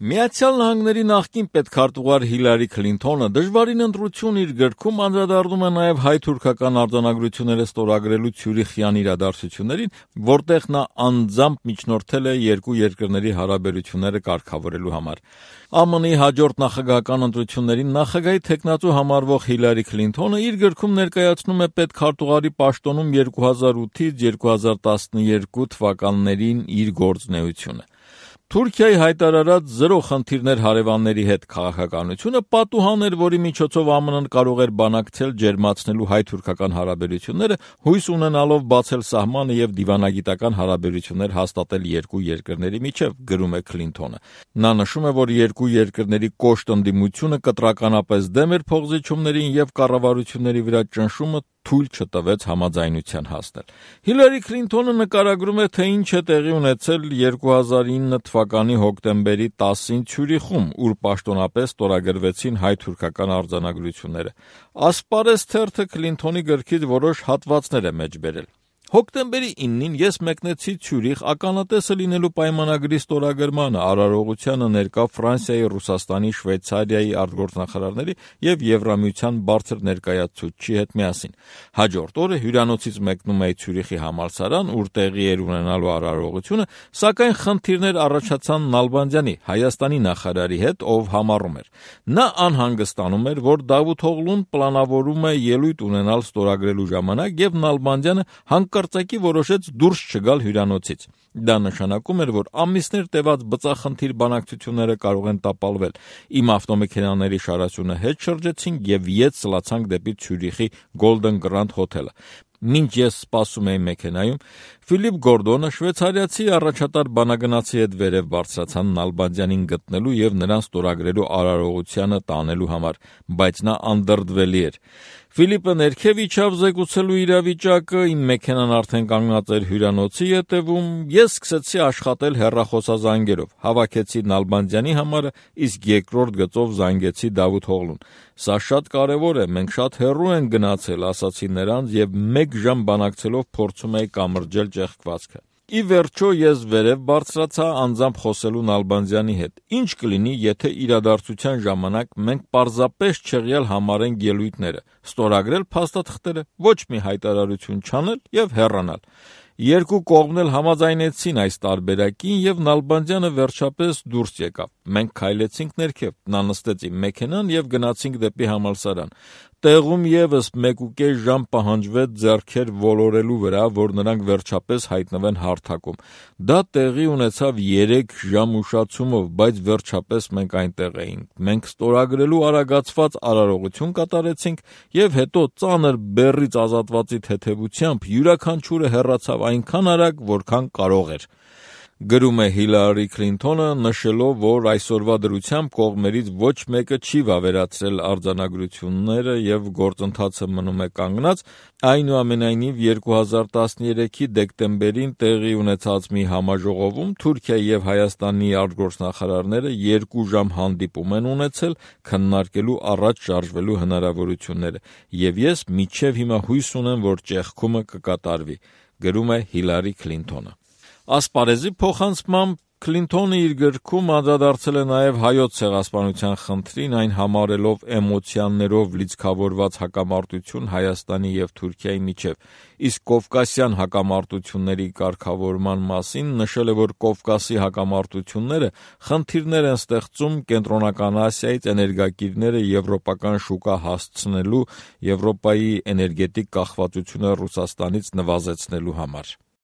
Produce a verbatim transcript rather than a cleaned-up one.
Միացյալ Նահանգների նախկին պետքարտուղար Հիլարի Քլինթոնը դժվարին ընտրություն իր գրքում անդրադառնում է նաև հայ-թուրքական արձանագրությունները ստորագրելու Ցյուրիխյան իրադարձություններին, որտեղ նա անձամբ միջնորդել է երկու երկրների հարաբերությունները կարգավորելու համար։ ԱՄՆ-ի հաջորդ նախագահական ընտրություններին նախագահի թեկնածու համարվող Հիլարի Քլինթոնը իր գրքում ներկայացնում է պետքարտուղարի պաշտոնում երկու հազար ութից երկու հազար տասներկու թվականներին իր գործունեությունը։ Թուրքիայի հայտարարած զրո խնդիրներ հարևանների հետ քաղաքականությունը պատուհան էր, որի միջոցով ԱՄՆ-ն կարող էր բանակցել ջերմացնելու հայ-թուրքական հարաբերությունները, հույս ունենալով բացել սահմանը եւ դիվանագիտական հարաբերություններ հաստատել երկու երկրների միջև, գրում է Քլինթոնը։ Նա նշում է, որ երկու երկրների կոշտ ընդդիմությունը կտրականապես դեմ էր փոխզիջումներին եւ կառավարությունների վրա ճնշումը թույլ չտվեց համաձայնության հասնել։ Հիլարի Քլինթոնը նկարագրում է, թե ինչ է տեղի ունեցել երկու հազար ինը թվականի հոկտեմբերի տասին Ցյուրիխում, ուր պաշտոնապես ստորագրվեցին հայ-թուրքական արձանագրությունները։ Ասպարեզ թերթը Քլինթոնի գրքից որոշ հատվածներ է մեջ բերել։ Հոկտեմբերի իննին ես մեկնեցի Ցյուրիխ ականատեսը լինելու պայմանագրի ստորագրմանը, արարողությանը ներկա Ֆրանսիայի, Ռուսաստանի, Շվեյցարիայի արտգործնախարարների եւ Եվրամիության բարձր ներկայացուցչի հետ միասին։ Հաջորդ օրը հյուրանոցից մեկնում էի Ցյուրիխի համալսարան, ուր տեղի էր ունենալու արարողությունը, սակայն խնդիրներ առաջացան Նալբանդյանի, Հայաստանի նախարարի հետ, ով համառում էր։ Նա անհանգստանում էր, որ Դավութօղլուն պլանավորում է ելույթ ունենալ ստորագրելու ժամանակ եւ Նալբանդյանը հանկարծակի որոշեց դուրս չգալ հյուրանոցից։ Դա նշանակում էր, որ ամիսներ տևած բծախնդիր բանակցությունները կարող են տապալվել։ Իմ ավտոմեքենաների շարասյունը հետ շրջեցինք եւ ետ սլացանք դեպի Ցյուրիխի Golden Grand հոթելը։ Մինչ ես սպասում էի մեքենայում, Ֆիլիպ Գորդոնը, շվեյցարիացի առաջատար բանագնացի հետ վերև բարձրացան Նալբանդյանին գտնելու եւ նրան ստորագրելու արարողությանը տանելու համար, բայց նա անդրդվելի էր։ Ֆիլիպը ներքև իջավ զեկուցելու իրավիճակը, իմ մեքենան արդեն կանգնած էր հյուրանոցի ետևում, ես սկսեցի աշխատել հեռախոսազանգերով, հավաքեցի Նալբանդյանի համարը, իսկ երկրորդ գծով զանգեցի Դավութօղլուն։ Սա շատ կարևոր է, մենք շատ հեռու ենք գնացել, ասացի նրանց եւ մեկ ժամ բանակցելով փորձում էի կամրջել ճեղքվածքը։ Ի վերջո ես վերև բարձրացա անձամբ խոսելու Նալբանդյանի հետ։ Ինչ կլինի, եթե իրադարձության ժամանակ մենք պարզապես չեղյալ համարենք ելույթները, ստորագրել փաստաթղթերը, ոչ մի հայտարարություն չանել եւ հեռանալ։ Երկու կողմն էլ համաձայնեցին այս տարբերակին եւ Նալբանդյանը վերջապես դուրս եկավ։ Մենք քայլեցինք ներքև, նա նստեց իմ մեքենան եւ գնացինք դեպի համալսարան։ Տեղում եւս մեկուկես ժամ պահանջվեց ձեռքեր ոլորելու վրա, որ նրանք վերջապես հայտնվեն հարթակում։ Դա տեղի ունեցավ երեք ժամ ուշացումով, բայց վերջապես մենք այնտեղ էինք։ Մենք ստորագրելու արագացված արարողություն կատարեցինք եւ հետո ծանր բեռից ազատվածի թեթևությամբ յուրաքանչյուրը հեռացավ այնքան արագ, որքան կարող էր։ Գրում է Հիլարի Քլինթոնը, նշելով, որ այսօրվա դրությամբ կողմերից ոչ մեկը չի վավերացրել արձանագրությունները եւ գործընթացը մնում է կանգնած, այնուամենայնիվ երկու հազար տասներեքի դեկտեմբերին տեղի ունեցած մի համաժողովում Թուրքիայի եւ Հայաստանի արտգործնախարարները երկու ժամ հանդիպում են ունեցել քննարկելու առաջ շարժվելու հնարավորությունները, եւ ես մինչեւ հիմա հույս ունեմ, որ ճեղքումը կկատարվի, գրում է Հիլարի Քլինթոնը։ Ասպարեզի փոխանցմամբ Քլինթոնը իր գրքում անդրադարձել է նաև հայոց ցեղասպանության խնդրին, այն համարելով էմոցիաներով լիցքավորված հակամարտություն Հայաստանի եւ Թուրքիայի միջև, իսկ կովկասյան հակամարտությունների կարգավորման մասին նշել է, որ Կովկասի հակամարտությունները խնդիրներ են ստեղծում Կենտրոնական Ասիայից էներգակիրները եվրոպական շուկա հասցնելու, Եվրոպայի էներգետիկ կախվածությունը Ռուսաստանից նվազեցնելու համար։